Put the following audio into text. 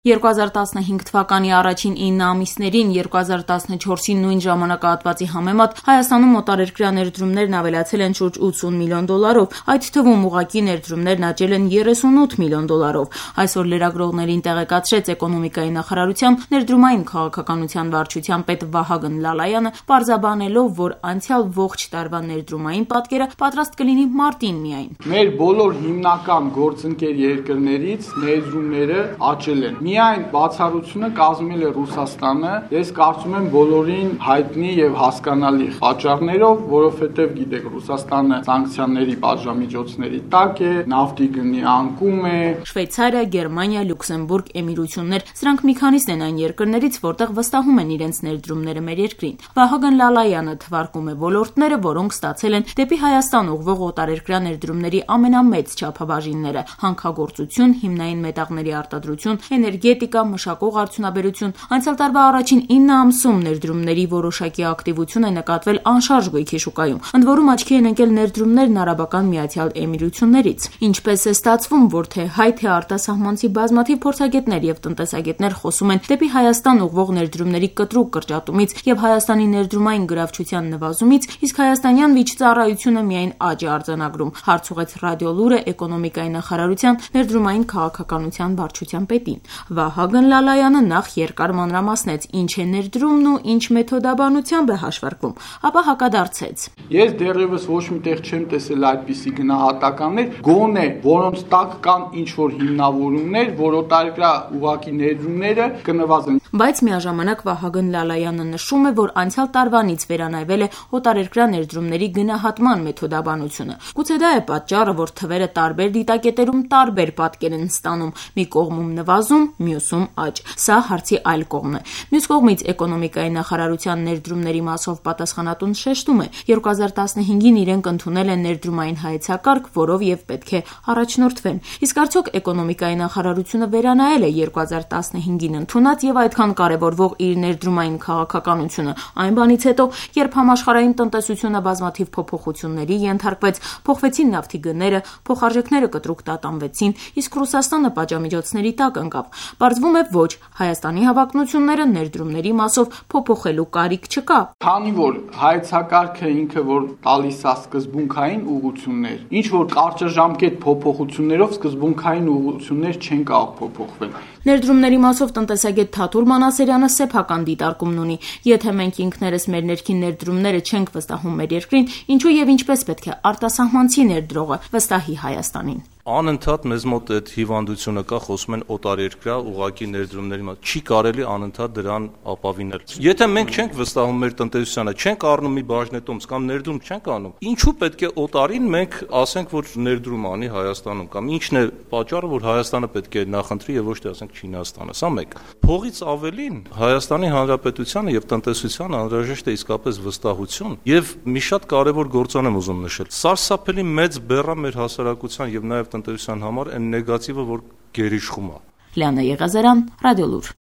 2015 թվականի առաջին 9 ամիսներին 2014-ի նույն ժամանակահատվածի համեմատ Հայաստանում օտարերկրյա ներդրումներն ավելացել են շուրջ 80 միլիոն դոլարով, այդ թվում ուղղակի ներդրումներն աճել են 38 միլիոն դոլարով։ Այսօր լրագրողներին տեղեկացրեց Էկոնոմիկայի նախարարության ներդրումային քաղաքականության վարչության պետ Վահագն Լալայանը, պարզաբանելով, որ անցյալ ողջ տարվա ներդրումային պատկերը պատրաստ կլինի մարտին միայն։ Մեր բոլոր հիմնական գործընկեր երկրներից ներդրումները աճել են։ Միայն բացառությունը կազմել է Ռուսաստանը, ես կարծում եմ բոլորին հայտնի եւ հասկանալի պատճառներով, որովհետեւ գիտեք, Ռուսաստանը սանկցիաների պատժամիջոցների տակ է, նավթի գնի անկում է։ Շվեյցարիա, Գերմանիա, Լյուքսեմբուրգ, Էմիրություններ, սրանք մի քանիսն են այն երկրներից, որտեղ վստահում են իրենց ներդրումները մեր երկրին։ Վահագն Լալայանը թվարկում է ոլորտները, որոնք ստացել են դեպի Հայաստան ուղղվող օտարերկրյա ներդրումների ամենամեծ չափաբաժինները՝ հանքագործություն, հիմնային մետաղների արտադրություն, էներգետիկա, մշակող արդյունաբերություն։ Անցյալ տարվա առաջին 9 ամսում ներդրումների որոշակի ակտիվություն է նկատվել անշարժ գույքի շուկայում, ընդ որում աչքի են ընկել ներդրումներն Արաբական Միացյալ Էմիրություններից։ Ինչպես է ստացվում, որ թե հայ, թե արտասահմանցի բազմաթիվ փորձագետներ եւ տնտեսագետներ խոսում են դեպի Հայաստան ուղղող ներդրումների կտրուկ կրճատումից եւ Հայաստանի ներդրումային գրավչության նվազումից, իսկ հայաստանյան վիճծառայությունը միայն աճ է արձանագրում, հարց ուղղեց Ռադիոլուրը Էկոնոմիկայի նախարարության ներդրումային քաղաքականության վարչության պետին։ Վահագն Լալայանը նախ երկար մանրամասնեց ինչ է ներդրումն ու ինչ մեթոդաբանությամբ է հաշվարկվում, ապա հակադարձեց։ Ես դեռևս ոչ միտեղ չեմ տեսել այդպիսի գնահատականներ, գոնե որոնց տակ կան ինչ-որ հիմնավորումներ, որ օտարերկրյա ուղղակի ներդրումները կնվազեն։ Բայց միաժամանակ Վահագն Լալայանը նշում է, որ անցյալ տարվանից վերանայվել է օտարերկրյա ներդրումների գնահատման մեթոդաբանությունը։ Գուցե դա է պատճառը, որ թվերը տարբեր դիտակետերում տարբեր պատկեր են ստանում՝ մի կողմում նվազում, մյուսում աճ։ Սա հարցի այլ կողմն է։ Մյուս կողմից Էկոնոմիկայի նախարարության ներդրումների մասով պատասխանատուն շեշտում է, 2015-ին իրենք ընդունել են ներդրումային հայեցակարգ, որով եւ պետք է առաջնորդվեն։ Իսկ արդյոք Էկոնոմիկայի նախարարությունը վերանայել է 2015-ին ընդունած եւ այդքան կարեւորվող իր ներդրումային քաղաքականությունը այն բանից հետո, երբ համաշխարհային տնտեսությունը բազմաթիվ փոփոխությունների ենթարկվեց, փոխվեցին նավթի գները, փոխարժեքները կտրուկ տատանվեցին, իսկ Ռուսաստանը պատժամիջոցների տակ ընկավ։ Պարզվում է ոչ, Հայաստանի հավակնությունները ներդրումների մասով փոփոխելու կարիք չկա։ Քանի որ հայեցակարգը ինքը որ տալիս է սկզբունքային ուղղություններ, ինչ որ կարճաժամկետ փոփոխություններով սկզբունքային ուղղություններ չեն կարող փոփոխվել։ Ներդրումների մասով տնտեսագետ Թաթուլ Մանասերյանը սեփական դիտարկումն ունի։ Եթե մենք ինքներս մեր ներքին ներդրումները չենք վստահում մեր երկրին, ինչու եւ ինչպես պետք է արտասահմանցի ներդրողը վստահի Հայաստանին։ Անընդհատ մեզ մոտ այդ հիվանդությունը կա, խոսում են օտարերկրյա ուղղակի ներդրումների մասին։ Չի կարելի անընդհատ դրան ապավինել։ Եթե մենք չենք վստահում մեր տնտեսությանը, չենք առնում մի բաժնետոմս կամ ներդրում չենք անում, ինչու պետք է օտարին մենք ասենք, որ ներդրում անի Հայաստանում կամ ինչն է պատճառը, որ Հայաստանը պետք է նախընտրի եւ ոչ թե ասենք Չինաստանը։ Սա մեկ։ Փողից ավելին Հայաստանի Հանրապետությանը եւ տնտեսությանը անհրաժեշտ է իսկապես վստահություն եւ մի շատ կարեւոր գործոն եմ ուզում նշել։ Սարսափելի մեծ բեռա մեր հասարակության եւ նաեւ տնտեսության համար այն նեգատիվը, որ գերիշխում է։ Լիանա Եղազարյան, Ռադիոլուր։